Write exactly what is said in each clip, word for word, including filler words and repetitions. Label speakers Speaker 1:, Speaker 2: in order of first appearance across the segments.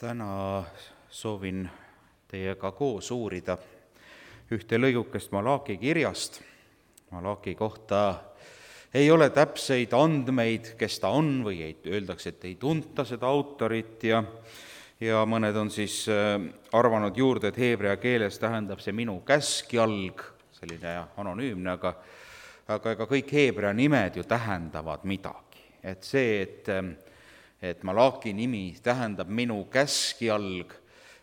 Speaker 1: Täna soovin teiega koos uurida ühte lõigukest Malachi kirjast. Malachi kohta ei ole täpseid andmeid, kes ta on, või ei, öeldakse, et ei tunta seda autorit ja, ja mõned on siis arvanud juurde, et heebrea keeles tähendab see minu käskjalg, selline anonüümne, aga, aga ega kõik heebrea nimed ju tähendavad midagi. Et see, et et Malachi nimi tähendab minu käskjalg,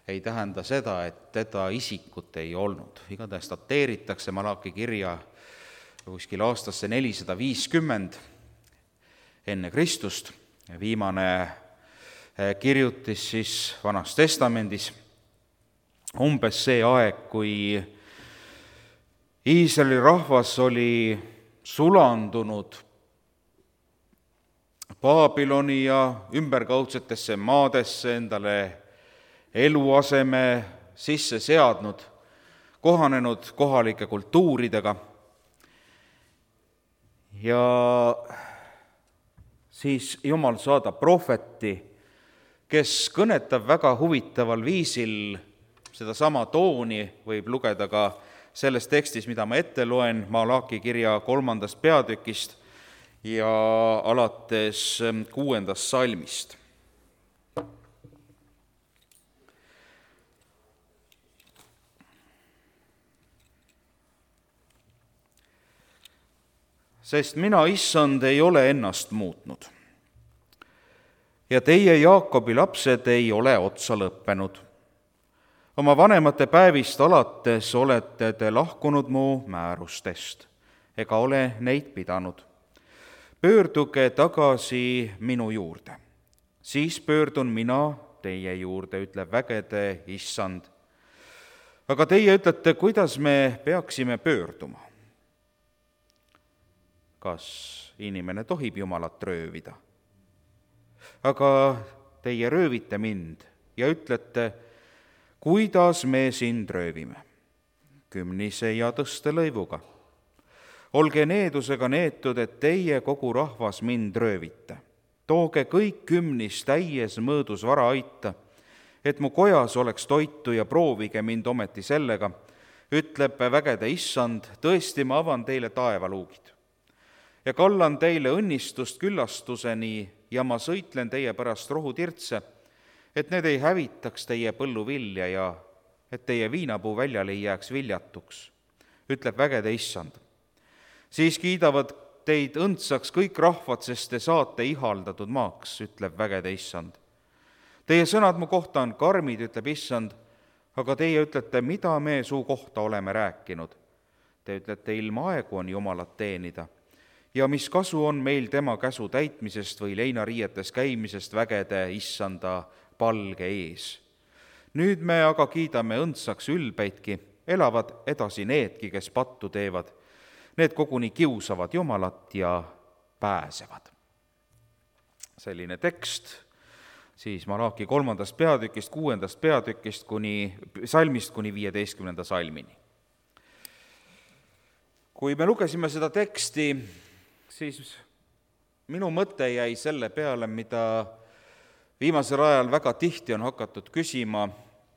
Speaker 1: ei tähenda seda, et teda isikut ei olnud. Igatahes dateeritakse Malachi kirja kuskil aastasse nelisada viiskümmend enne Kristust. Viimane kirjutis siis Vanas Testamendis umbes see aeg, kui Iisraeli rahvas oli sulandunud Baabiloni ja ümberkaudsetesse maadesse, endale eluaseme sisse seadnud, kohanenud kohalike kultuuridega. Ja siis Jumal saadab prohveti, kes kõnetab väga huvitaval viisil. Sedasama tooni võib lugeda ka selles tekstis, mida ma ette loen, Malachi kirja kolmandast peatükist ja alates kuuendast salmist. Sest mina, issand, ei ole ennast muutnud ja teie, Jaakobi lapsed, ei ole otsa lõppenud. Oma vanemate päevist alates olete te lahkunud mu määrustest ega ole neid pidanud. Pöörduge tagasi minu juurde, siis pöördun mina teie juurde, ütleb vägede issand. Aga teie ütlete, kuidas me peaksime pöörduma? Kas inimene tohib Jumalat röövida? Aga teie röövite mind ja ütlete, kuidas me sind röövime? Kümnise ja tõstelõivuga. Olge needusega neetud, et teie kogu rahvas mind röövite. Tooge kõik kümnis täies mõõdus vara aita, et mu kojas oleks toitu ja proovige mind ometi sellega, ütleb vägede issand, tõesti ma avan teile taevaluugid. Ja kallan teile õnnistust küllastuseni ja ma sõitlen teie pärast rohutirtse, et need ei hävitaks teie põlluvilja ja et teie viinapuu väljal ei jääks viljatuks, ütleb vägede issand. Siis kiidavad teid õndsaks kõik rahvad, sest te saate ihaldatud maaks, ütleb vägede issand. Teie sõnad mu kohta on karmid, ütleb issand, aga teie ütlete, mida me su kohta oleme rääkinud. Te ütlete, ilma aegu on Jumalat teenida ja mis kasu on meil tema käsu täitmisest või leinariietes käimisest vägede issanda palge ees. Nüüd me aga kiidame õndsaks ülbeidki, elavad edasi needki, kes pattu teevad. Need koguni kiusavad Jumalat ja pääsevad. Selline tekst siis Malachi kolmandast peatükist, kuuendast peatükist kuni salmist kuni viieteistkümnenda salmini. Kui me lugesime seda teksti, siis minu mõte jäi selle peale, mida viimasel ajal väga tihti on hakatud küsima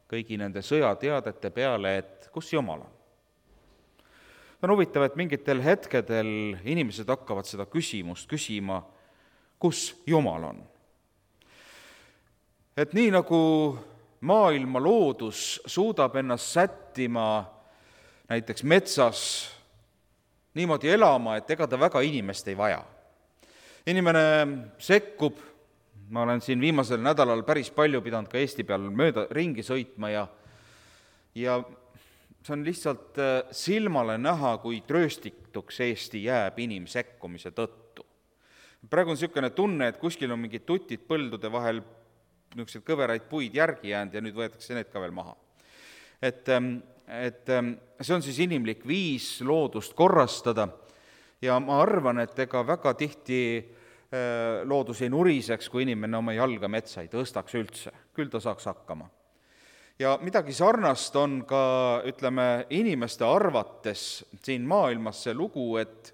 Speaker 1: kõigi nende sõjateadete peale, et kus Jumal on. On huvitav, et mingitel hetkedel inimesed hakkavad seda küsimust küsima, kus Jumal on. Et nii nagu maailma loodus suudab ennast sättima näiteks metsas niimoodi elama, et ega ta väga inimest ei vaja. Inimene sekkub, ma olen siin viimasel nädalal päris palju pidanud ka Eesti peal mööda ringi sõitma ja, ja see on lihtsalt silmale näha, kui trööstituks Eesti jääb inimsekkumise tõttu. Praegu on niisugune tunne, et kuskil on mingid tutid põldude vahel niisugused kõveraid puid järgi jäänud ja nüüd võetakse need ka veel maha. Et, et see on siis inimlik viis loodust korrastada ja ma arvan, et ega väga tihti loodus ei nuriseks, kui inimene oma jalga metsa ei tõstaks üldse, küll ta saaks hakkama. Ja midagi sarnast on ka, ütleme, inimeste arvates siin maailmas see lugu, et,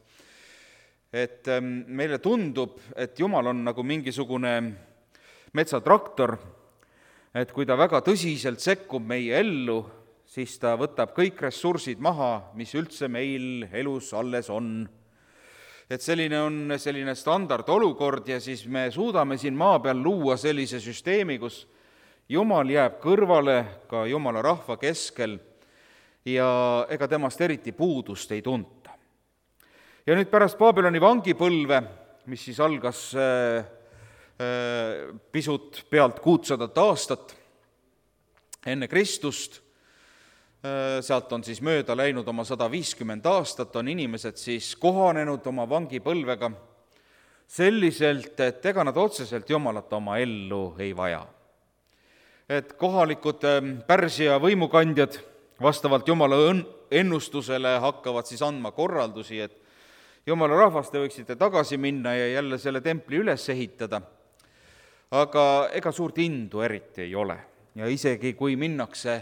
Speaker 1: et meile tundub, et Jumal on nagu mingisugune metsatraktor, et kui ta väga tõsiselt sekkub meie ellu, siis ta võtab kõik ressursid maha, mis üldse meil elus alles on. Et selline on selline standardolukord ja siis me suudame siin maa peal luua sellise süsteemi, kus Jumal jääb kõrvale ka Jumala rahva keskel ja ega temast eriti puudust ei tunta. Ja nüüd pärast Babyloni vangipõlve, mis siis algas äh, äh, pisut pealt kuutsadat aastat enne Kristust, sealt on siis mööda läinud oma sada viiskümmend aastat, on inimesed siis kohanenud oma vangipõlvega selliselt, et ega nad otseselt Jumalat oma ellu ei vaja. Et kohalikud Pärsia võimukandjad vastavalt Jumala ennustusele hakkavad siis andma korraldusi, et Jumala rahvas, te võiksite tagasi minna ja jälle selle templi üles ehitada, aga ega suurt indu eriti ei ole. Ja isegi kui minnakse,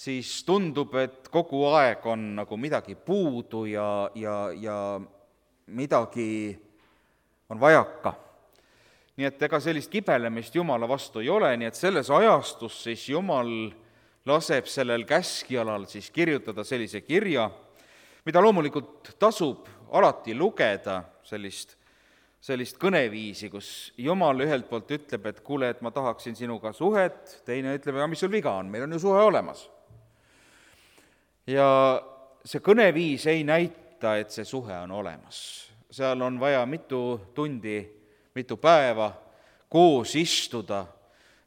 Speaker 1: siis tundub, et kogu aeg on nagu midagi puudu ja, ja, ja midagi on vajaka. Nii et ega sellist kibelemist Jumala vastu ei ole, nii et selles ajastus siis Jumal laseb sellel käskjalal siis kirjutada sellise kirja, mida loomulikult tasub alati lugeda, sellist, sellist kõneviisi, kus Jumal ühelt poolt ütleb, et kuule, et ma tahaksin sinuga suhet, teine ütleb, aga mis sul viga on, meil on ju suhe olemas. Ja see kõneviis ei näita, et see suhe on olemas. Seal on vaja mitu tundi, mitu päeva koos istuda,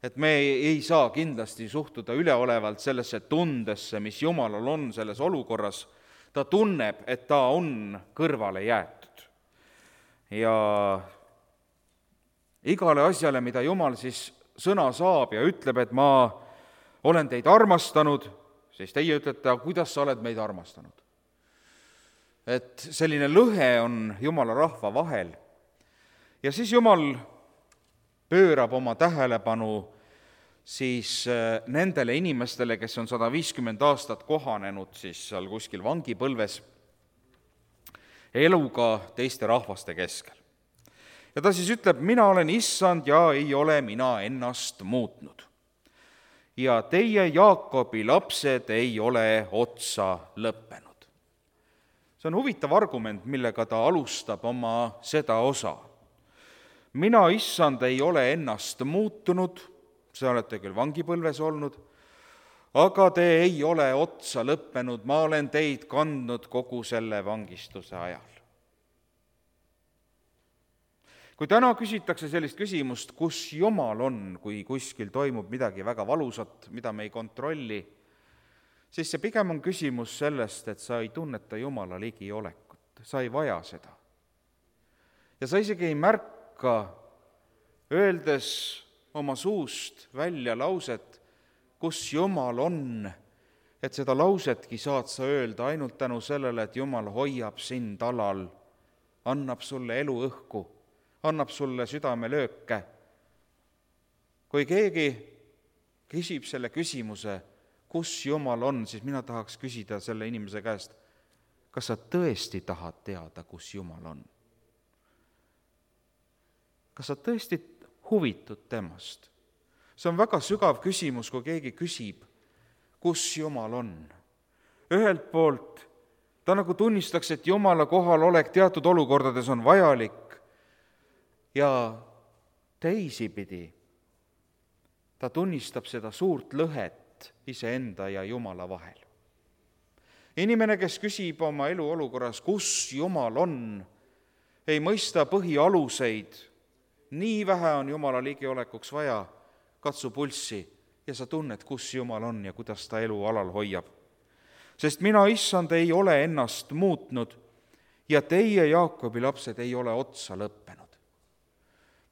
Speaker 1: et me ei saa kindlasti suhtuda üleolevalt sellesse tundesse, mis Jumalal on selles olukorras. Ta tunneb, et ta on kõrvale jäetud. Ja igale asjale, mida Jumal siis sõna saab ja ütleb, et ma olen teid armastanud, siis teie ütlete, aga kuidas sa oled meid armastanud? Et selline lõhe on Jumala rahva vahel. Ja siis Jumal pöörab oma tähelepanu siis nendele inimestele, kes on sada viiskümmend aastat kohanenud siis seal kuskil vangipõlves eluga teiste rahvaste keskel. Ja ta siis ütleb, mina olen issand ja ei ole mina ennast muutnud. Ja teie, Jaakobi lapsed, ei ole otsa lõppenud. See on huvitav argument, millega ta alustab oma seda osa. Mina, issand, ei ole ennast muutunud, see olete küll vangipõlves olnud, aga te ei ole otsa lõppenud, ma olen teid kandnud kogu selle vangistuse ajal. Kui täna küsitakse sellist küsimust, kus Jumal on, kui kuskil toimub midagi väga valusat, mida me ei kontrolli, siis see pigem on küsimus sellest, et sa ei tunneta Jumala ligiolekut, sa ei vaja seda. Ja sa isegi ei märka, öeldes oma suust välja lauset, kus Jumal on, et seda lausetki saad sa öelda ainult tänu sellele, et Jumal hoiab sind alal, annab sulle eluõhku, annab sulle südamelööke. Kui keegi küsib selle küsimuse, kus Jumal on, siis mina tahaks küsida selle inimese käest, kas sa tõesti tahad teada, kus Jumal on? Kas sa tõesti huvitud temast? See on väga sügav küsimus, kui keegi küsib, kus Jumal on. Ühelt poolt ta nagu tunnistaks, et Jumala kohalolek teatud olukordades on vajalik, ja teisipidi ta tunnistab seda suurt lõhet iseenda ja Jumala vahel. Inimene, kes küsib oma elu olukorras, kus Jumal on, ei mõista põhialuseid, nii vähe on Jumala ligiolekuks vaja, katsu pulssi ja sa tunned, kus Jumal on ja kuidas ta elu alal hoiab. Sest mina, issand, ei ole ennast muutnud ja teie, Jaakobi lapsed, ei ole otsa lõppenud.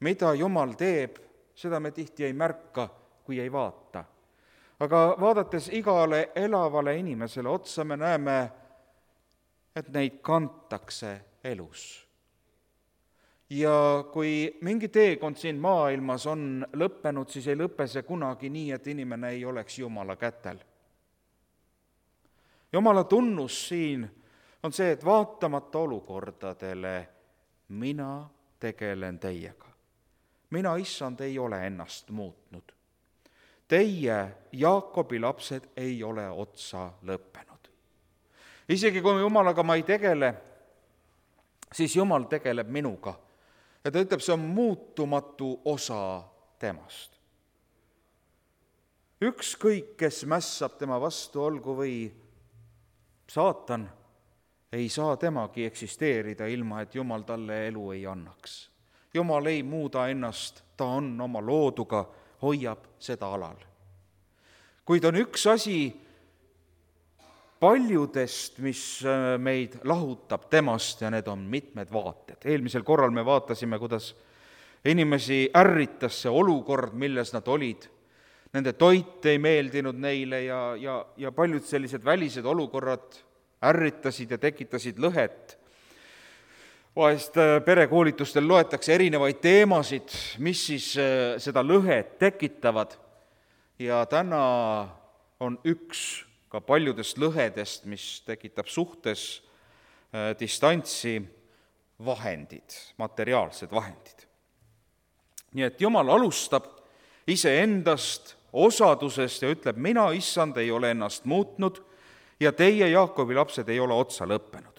Speaker 1: Mida Jumal teeb, seda me tihti ei märka, kui ei vaata. Aga vaadates igale elavale inimesele otsa, me näeme, et neid kantakse elus. Ja kui mingi teekond siin maailmas on lõppenud, siis ei lõpe see kunagi nii, et inimene ei oleks Jumala kätel. Jumala tunnus siin on see, et vaatamata olukordadele mina tegelen teiega. Mina, issand, ei ole ennast muutnud. teie, Jaakobi lapsed, ei ole otsa lõppenud. Isegi kui Jumalaga ma ei tegele, siis Jumal tegeleb minuga. Ja ta ütleb, see on muutumatu osa temast. Ükskõik, kes mässab tema vastu, olgu või saatan, ei saa temagi eksisteerida ilma, et Jumal talle elu ei annaks. Jumal ei muuda ennast, ta on oma looduga, hoiab seda alal. Kuid on üks asi paljudest, mis meid lahutab temast, ja need on mitmed vaated. Eelmisel korral me vaatasime, kuidas inimesi ärritas see olukord, milles nad olid. Nende toit ei meeldinud neile ja, ja, ja paljud sellised välised olukorrad ärritasid ja tekitasid lõhet. Vahest perekoolitustel loetakse erinevaid teemasid, mis siis seda lõhet tekitavad. Ja täna on üks ka paljudest lõhedest, mis tekitab suhtes distantsi, vahendid, materiaalsed vahendid. Nii et Jumal alustab iseendast, osadusest ja ütleb, mina, issand, ei ole ennast muutnud ja teie, Jaakobi lapsed, ei ole otsa lõppenud.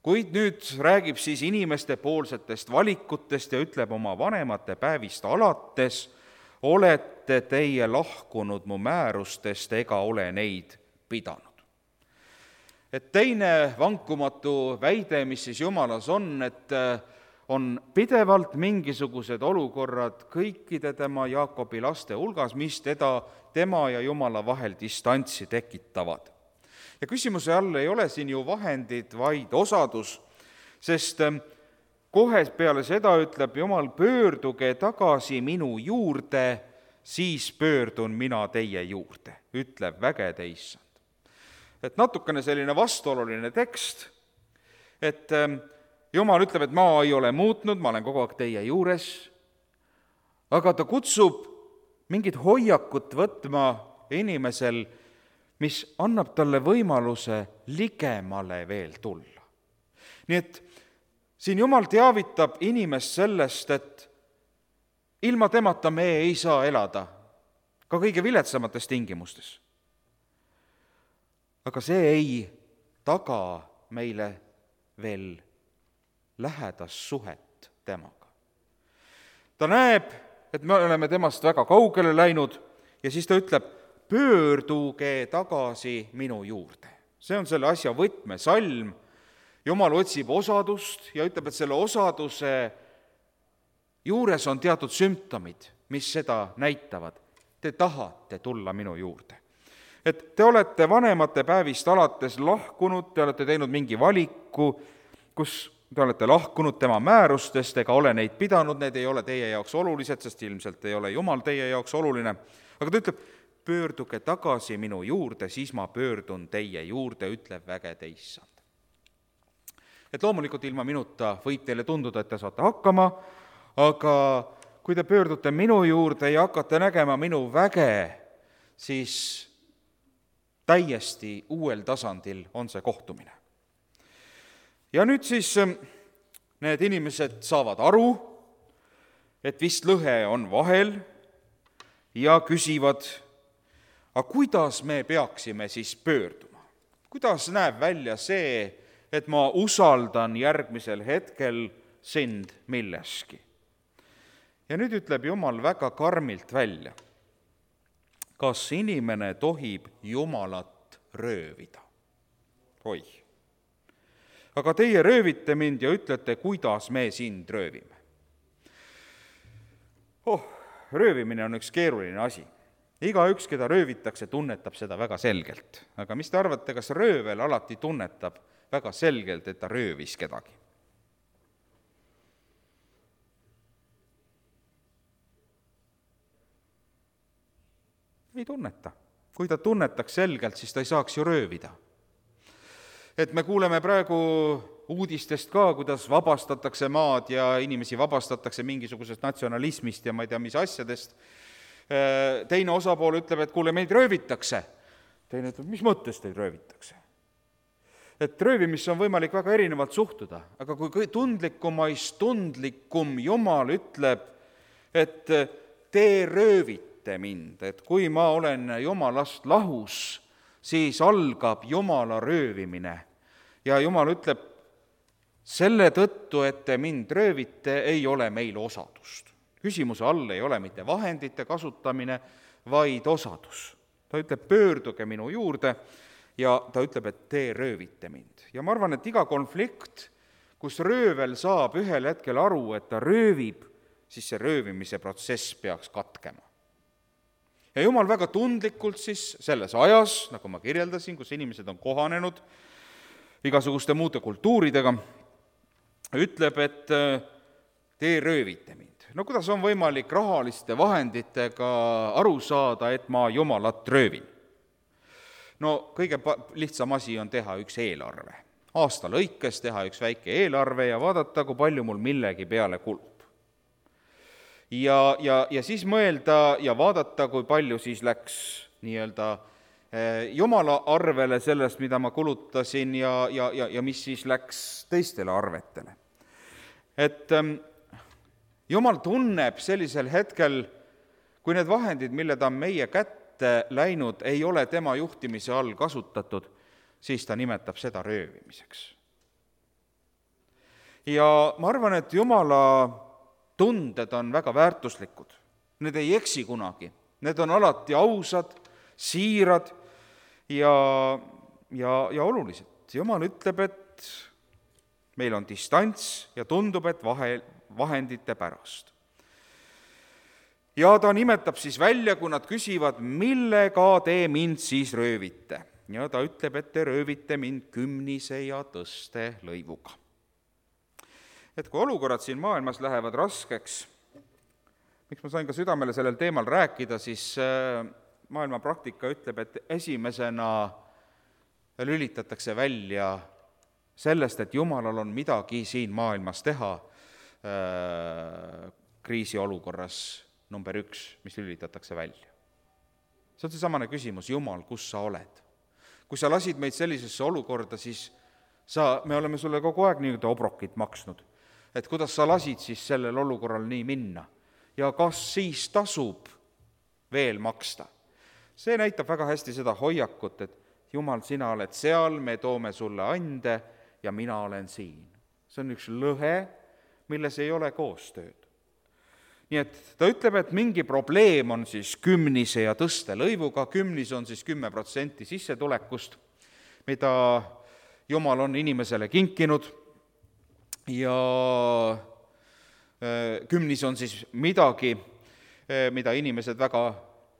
Speaker 1: Kuid nüüd räägib siis inimeste poolsetest valikutest ja ütleb oma vanemate päevist alates, olete teie lahkunud mu määrustest ega ole neid pidanud. Et teine vankumatu väide, mis siis Jumalas on, et on pidevalt mingisugused olukorrad kõikide tema Jaakobi laste hulgas, mis teda, tema ja Jumala vahel distantsi tekitavad. Ja küsimuse all ei ole siin ju vahendid, vaid osadus, sest kohe peale seda ütleb Jumal, pöörduge tagasi minu juurde, siis pöördun mina teie juurde, ütleb vägede issand. Et natukene selline vastuoluline tekst, et Jumal ütleb, et ma ei ole muutnud, ma olen kogu aeg teie juures, aga ta kutsub mingit hoiakut võtma inimesel, mis annab talle võimaluse ligemale veel tulla. Nii et siin Jumal teavitab inimest sellest, et ilma temata me ei saa elada, ka kõige viletsamates tingimustes. Aga see ei taga meile veel lähedast suhet temaga. Ta näeb, et me oleme temast väga kaugele läinud ja siis ta ütleb, pöörduge tagasi minu juurde. See on selle asja võtmesalm. Jumal otsib osadust ja ütleb, et selle osaduse juures on teatud sümptomid, mis seda näitavad. Te tahate tulla minu juurde. Et te olete vanemate päevist alates lahkunud, te olete teinud mingi valiku, kus te olete lahkunud tema määrustest ega ole neid pidanud, need ei ole teie jaoks olulised, sest ilmselt ei ole Jumal teie jaoks oluline. Aga ta ütleb, pöörduge tagasi minu juurde, siis ma pöördun teie juurde, ütleb vägede issand. Et loomulikult ilma minuta võib teile tunduda, et te saate hakkama, aga kui te pöördute minu juurde ja hakkate nägema minu väge, siis täiesti uuel tasandil on see kohtumine. Ja nüüd siis need inimesed saavad aru, et vist lõhe on vahel ja küsivad, aga kuidas me peaksime siis pöörduma? Kuidas näeb välja see, et ma usaldan järgmisel hetkel sind milleski? Ja nüüd ütleb Jumal väga karmilt välja, kas inimene tohib Jumalat röövida? Oi! Aga teie röövite mind ja ütlete, kuidas me sind röövime. Oh, röövimine on üks keeruline asi. Igaüks, keda röövitakse, tunnetab seda väga selgelt. Aga mis te arvate, kas röövel alati tunnetab väga selgelt, et ta röövis kedagi? Ei tunneta. Kui ta tunnetaks selgelt, siis ta ei saaks ju röövida. Et me kuuleme praegu uudistest ka, kuidas vabastatakse maad ja inimesi vabastatakse mingisugusest natsionalismist ja ma ei tea, mis asjadest. Teine osapool ütleb, et kuule, meid röövitakse. Teine ütleb, mis mõttes teid röövitakse? Et röövimisse on võimalik väga erinevalt suhtuda, aga kui tundlikumais tundlikum Jumal ütleb, et te röövite, röövite mind, et kui ma olen Jumalast lahus, siis algab Jumala röövimine. Ja Jumal ütleb, selle tõttu, et te mind röövite, ei ole meil osadust. Küsimuse all ei ole mitte vahendite kasutamine, vaid osadus. Ta ütleb, pöörduge minu juurde ja ta ütleb, et te röövite mind. Ja ma arvan, et iga konflikt, kus röövel saab ühel hetkel aru, et ta röövib, siis see röövimise protsess peaks katkema. Ja Jumal väga tundlikult siis selles ajas, nagu ma kirjeldasin, kus inimesed on kohanenud igasuguste muude kultuuridega, ütleb, et te röövite mind. No kuidas on võimalik rahaliste vahenditega aru saada, et ma Jumalat röövin? No kõige lihtsam asi on teha üks eelarve. Aasta lõikes teha üks väike eelarve ja vaadata, kui palju mul millegi peale kulub. Ja, ja, ja siis mõelda ja vaadata, kui palju siis läks nii-öelda Jumala arvele sellest, mida ma kulutasin ja, ja, ja, ja mis siis läks teistele arvetele. Et Jumal tunneb sellisel hetkel, kui need vahendid, mille ta on meie kätte läinud, ei ole tema juhtimise all kasutatud, siis ta nimetab seda röövimiseks. Ja ma arvan, et Jumala tunded on väga väärtuslikud. Need ei eksi kunagi. Need on alati ausad, siirad ja, ja, ja olulised. Jumal ütleb, et meil on distants ja tundub, et vahe, vahendite pärast. Ja ta nimetab siis välja, kui nad küsivad, millega te mind siis röövite. Ja ta ütleb, et te röövite mind kümnise ja tõste lõivuga. Et kui olukorrad siin maailmas lähevad raskeks, miks ma sain ka südamele sellel teemal rääkida, siis maailma praktika ütleb, et esimesena lülitatakse välja sellest, et Jumalal on midagi siin maailmas teha kriisiolukorras number üks, mis lülitatakse välja. See on see samane küsimus, Jumal, kus sa oled? Kui sa lasid meid sellisesse olukorda, siis sa, me oleme sulle kogu aeg nii-öelda obrokit maksnud. Et kuidas sa lasid siis sellel olukorral nii minna ja kas siis tasub veel maksta. See näitab väga hästi seda hoiakut, et Jumal, sina oled seal, me toome sulle ande ja mina olen siin. See on üks lõhe, milles ei ole koostööd. Nii et ta ütleb, et mingi probleem on siis kümnise ja tõste lõivuga, kümnis on siis kümme protsenti sissetulekust, mida Jumal on inimesele kinkinud, ja kümnis on siis midagi, mida inimesed väga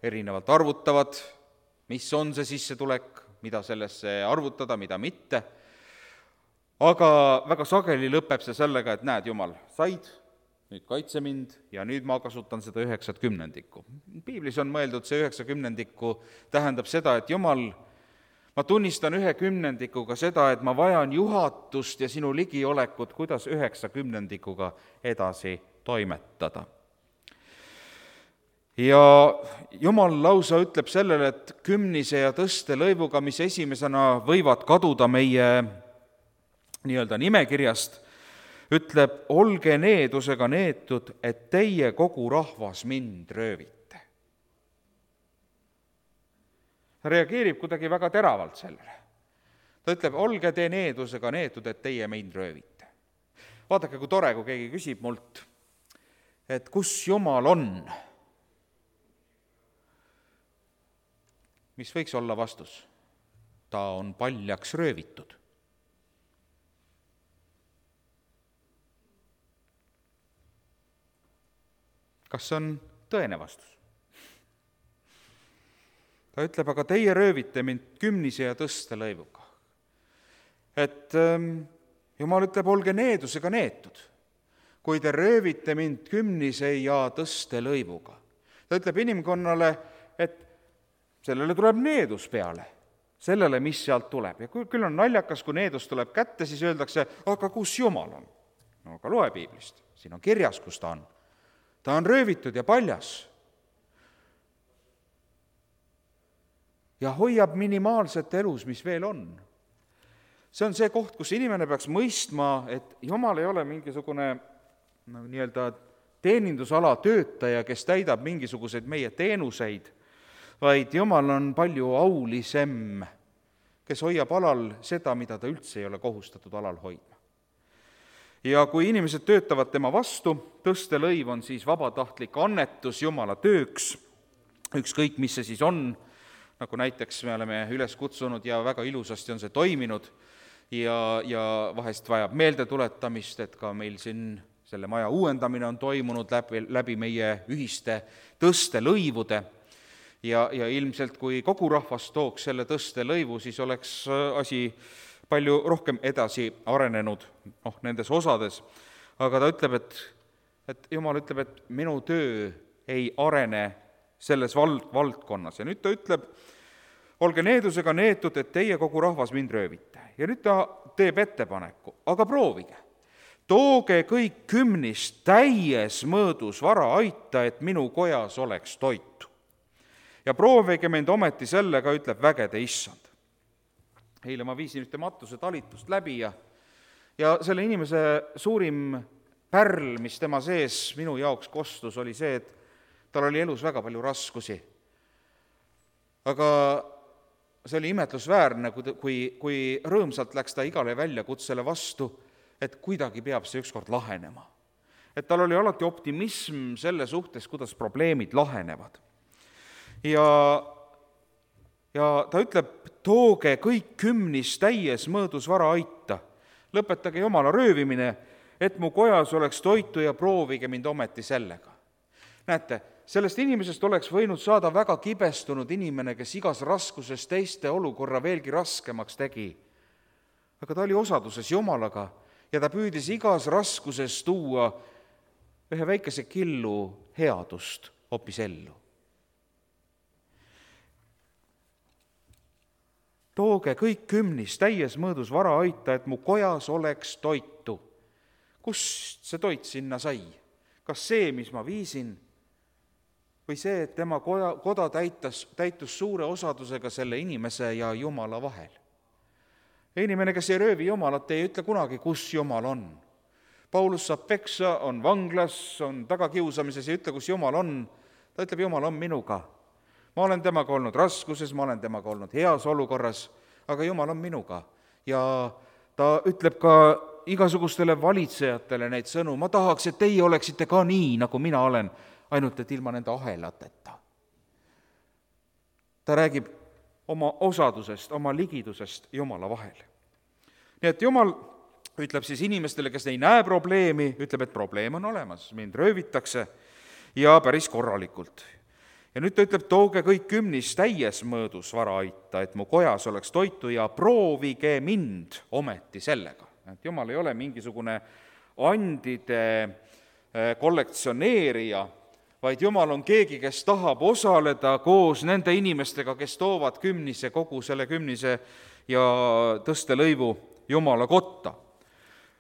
Speaker 1: erinevalt arvutavad, mis on see sissetulek, mida sellesse arvutada, mida mitte. Aga väga sageli lõpeb see sellega, et näed, Jumal, said, nüüd kaitse mind ja nüüd ma kasutan seda üheksat kümnendikku. Piiblis on mõeldud see üheksa kümnendikku, tähendab seda, et Jumal, ma tunnistan ühe kümnendikuga seda, et ma vajan juhatust ja sinu ligiolekut, kuidas üheksa kümnendikuga edasi toimetada. Ja Jumal lausa ütleb sellele, et kümnise ja tõste lõivuga, mis esimesena võivad kaduda meie nii-öelda nimekirjast, ütleb, olge needusega neetud, et teie kogu rahvas mind röövite. Ta reageerib kuidagi väga teravalt sellele. Ta ütleb, olge te needusega neetud, et teie mind röövite. Vaadake, kui tore, kui keegi küsib mult, et kus Jumal on? Mis võiks olla vastus? Ta on paljaks röövitud. Kas see on tõene vastus? Ta ütleb, aga teie röövite mind kümnise ja tõste lõivuga. Et ähm, Jumal ütleb, olge needusega neetud, kui te röövite mind kümnise ja tõste lõivuga. Ta ütleb inimkonnale, et sellele tuleb needus peale, sellele, mis sealt tuleb. Ja küll on naljakas, kui needus tuleb kätte, siis öeldakse, aga kus Jumal on? No aga loe Piiblist, siin on kirjas, kus ta on. Ta on röövitud ja paljas. Ja hoiab minimaalset elus, mis veel on. See on see koht, kus inimene peaks mõistma, et Jumal ei ole mingisugune no, nii-öelda teenindusala töötaja, kes täidab mingisuguseid meie teenuseid, vaid Jumal on palju aulisem, kes hoiab alal seda, mida ta üldse ei ole kohustatud alal hoidma. Ja kui inimesed töötavad tema vastu, tõstelõiv on siis vabatahtlik annetus Jumala tööks, ükskõik mis see siis on, nagu näiteks me oleme üles kutsunud ja väga ilusasti on see toiminud ja, ja vahest vajab meeldetuletamist, et ka meil siin selle maja uuendamine on toimunud läbi, läbi meie ühiste tõstelõivude ja, ja ilmselt kui kogu rahvas tooks selle tõstelõivu, siis oleks asi palju rohkem edasi arenenud noh, nendes osades. Aga ta ütleb, et, et Jumal ütleb, et minu töö ei arene selles vald, valdkonnas. Ja nüüd ta ütleb, olge needusega neetud, et teie kogu rahvas mind röövite. Ja nüüd ta teeb ettepaneku, aga proovige. Tooge kõik kümnist täies mõõdus vara aita, et minu kojas oleks toitu. Ja proovige mind ometi sellega, ütleb vägede issand. Eile ma viisin ühte matuse talitust läbi ja, ja selle inimese suurim pärl, mis tema sees minu jaoks kostus, oli see, et tal oli elus väga palju raskusi. Aga see oli imetlusväärne, kui, kui, kui rõõmsalt läks ta igale väljakutsele vastu, et kuidagi peab see ükskord lahenema. Et tal oli alati optimism selle suhtes, kuidas probleemid lahenevad. Ja, ja ta ütleb, tooge kõik kümnis täies mõõdus vara aita. Lõpetage Jumala röövimine, et mu kojas oleks toitu ja proovige mind ometi sellega. Näete, sellest inimesest oleks võinud saada väga kibestunud inimene, kes igas raskuses teiste olukorra veelgi raskemaks tegi. Aga ta oli osaduses Jumalaga ja ta püüdis igas raskuses tuua ühe väikese killu headust hoopis ellu. Tooge kõik kümnis täies mõõdus vara aita, et mu kojas oleks toitu. Kust see toit sinna sai? Kas see, mis ma viisin? Või see, et tema koda, koda täitas, täitus suure osadusega selle inimese ja Jumala vahel? Inimene, kes ei röövi Jumalat, ei ütle kunagi, kus Jumal on. Paulus saab peksa, on vanglas, on tagakiusamises ja ütle, kus Jumal on. Ta ütleb, Jumal on minuga. Ma olen temaga olnud raskuses, ma olen temaga olnud heas olukorras, aga Jumal on minuga. Ja ta ütleb ka igasugustele valitsejatele neid sõnu, ma tahaks, et teie oleksite ka nii, nagu mina olen, ainult et ilma nende ahelateta. Ta räägib oma osadusest, oma ligidusest Jumala vahel. Nii et Jumal ütleb siis inimestele, kes ei näe probleemi, ütleb, et probleem on olemas, mind röövitakse ja päris korralikult. Ja nüüd ta ütleb, tooge kõik kümnis täies mõõdus vara aita, et mu kojas oleks toitu ja proovige mind ometi sellega. Et Jumal ei ole mingisugune andide kollektsioneerija, vaid Jumal on keegi, kes tahab osaleda koos nende inimestega, kes toovad kümnise, kogu selle kümnise ja tõstelõivu Jumala kotta,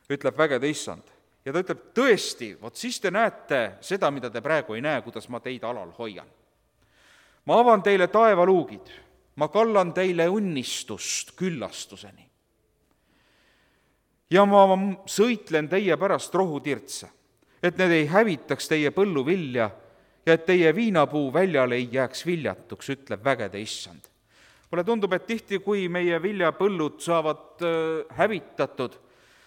Speaker 1: ütleb vägede issand. Ja ta ütleb, tõesti, vot siis te näete seda, mida te praegu ei näe, kuidas ma teid alal hoian. Ma avan teile taevaluugid, ma kallan teile unnistust küllastuseni. Ja ma sõitlen teie pärast rohutirtse, et need ei hävitaks teie põllu vilja ja et teie viinapuu väljal ei jääks viljatuks, ütleb vägede issand. Mulle tundub, et tihti, kui meie viljapõllud saavad hävitatud,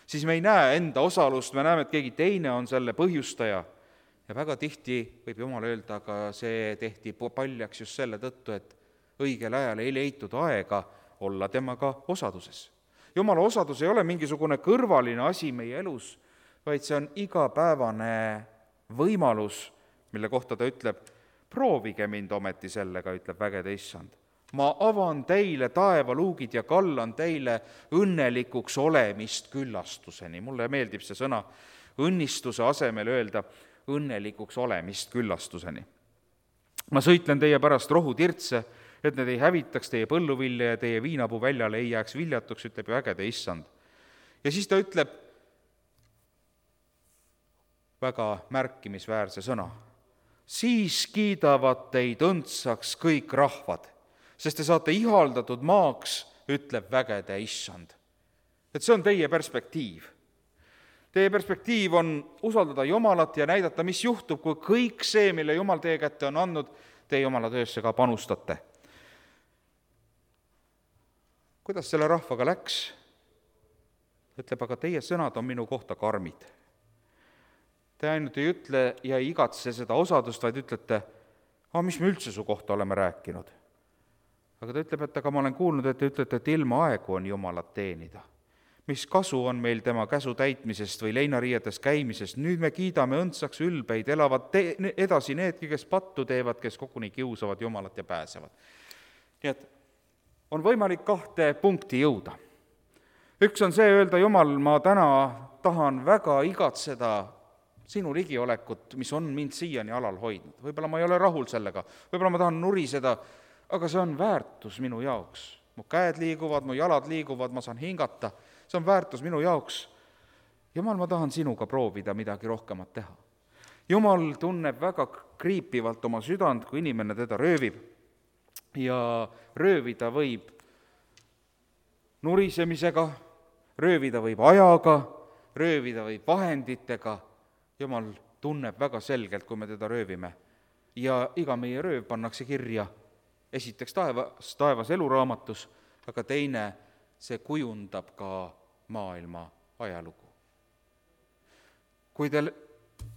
Speaker 1: siis me ei näe enda osalust, me näeme, et keegi teine on selle põhjustaja. Ja väga tihti võib Jumal öelda, aga see tehti paljaks just selle tõttu, et õigel ajal ei leitud aega olla temaga osaduses. Jumala osadus ei ole mingisugune kõrvaline asi meie elus, vaid see on igapäevane võimalus, mille kohta ta ütleb, proovige mind ometi sellega, ütleb vägede issand. Ma avan teile taevaluugid ja kallan teile õnnelikuks olemist küllastuseni. Mulle meeldib see sõna õnnistuse asemel öelda õnnelikuks olemist küllastuseni. Ma sõitlen teie pärast rohutirtse, et need ei hävitaks teie põlluvilja ja teie viinapuu väljale ei jääks viljatuks, ütleb vägede issand. Ja siis ta ütleb väga märkimisväärse sõna. Siis kiidavad teid õndsaks kõik rahvad, sest te saate ihaldatud maaks, ütleb vägede issand. Et see on teie perspektiiv. Teie perspektiiv on usaldada Jumalat ja näidata, mis juhtub, kui kõik see, mille Jumal teie kätte on andnud, teie Jumala töösse ka panustate. Kuidas selle rahvaga läks? Ütleb, aga teie sõnad on minu kohta karmid. Te ainult ei ütle ja ei igatse seda osadust, vaid ütlete, aga mis me üldse su kohta oleme rääkinud? Aga ta ütleb, et aga ma olen kuulnud, et te ütlete, et ilma aegu on Jumalat teenida. Mis kasu on meil tema käsu täitmisest või leinariietes käimisest? Nüüd me kiidame õndsaks ülbeid, elavad te- edasi needki, kes pattu teevad, kes koguni kiusavad Jumalat ja pääsevad. Nii et on võimalik kahte punkti jõuda. Üks on see öelda, Jumal, ma täna tahan väga igatseda sinu ligiolekut, mis on mind siiani alal hoidnud. Võib-olla ma ei ole rahul sellega, võib-olla ma tahan nuriseda, aga see on väärtus minu jaoks. Mu käed liiguvad, mu jalad liiguvad, ma saan hingata, see on väärtus minu jaoks. Jumal, ma tahan sinuga proovida midagi rohkemat teha. Jumal tunneb väga kriipivalt oma südant, kui inimene teda röövib. Ja röövida võib nurisemisega, röövida võib ajaga, röövida võib vahenditega. Jumal tunneb väga selgelt, kui me teda röövime. Ja iga meie rööv pannakse kirja esiteks taevas, taevas eluraamatus, aga teine, see kujundab ka maailma ajalugu. Kui teil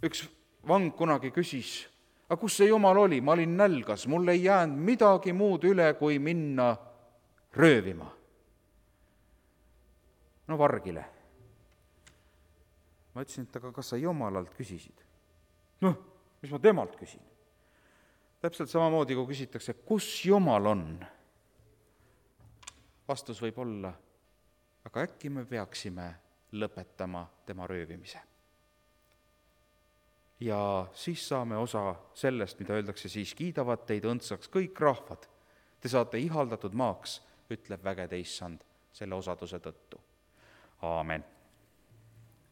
Speaker 1: üks vang kunagi küsis, aga kus see Jumal oli, ma olin nälgas, mul ei jäänud midagi muud üle, kui minna röövima. No vargile. Ma ütlesin, et aga kas sa Jumalalt küsisid? Noh, mis ma temalt küsin? Täpselt samamoodi, kui küsitakse, kus Jumal on? Vastus võib olla, aga äkki me peaksime lõpetama tema röövimise. Ja siis saame osa sellest, mida öeldakse, siis kiidavad teid õndsaks kõik rahvad. Te saate ihaldatud maaks, ütleb vägede issand selle osaduse tõttu. Aamen.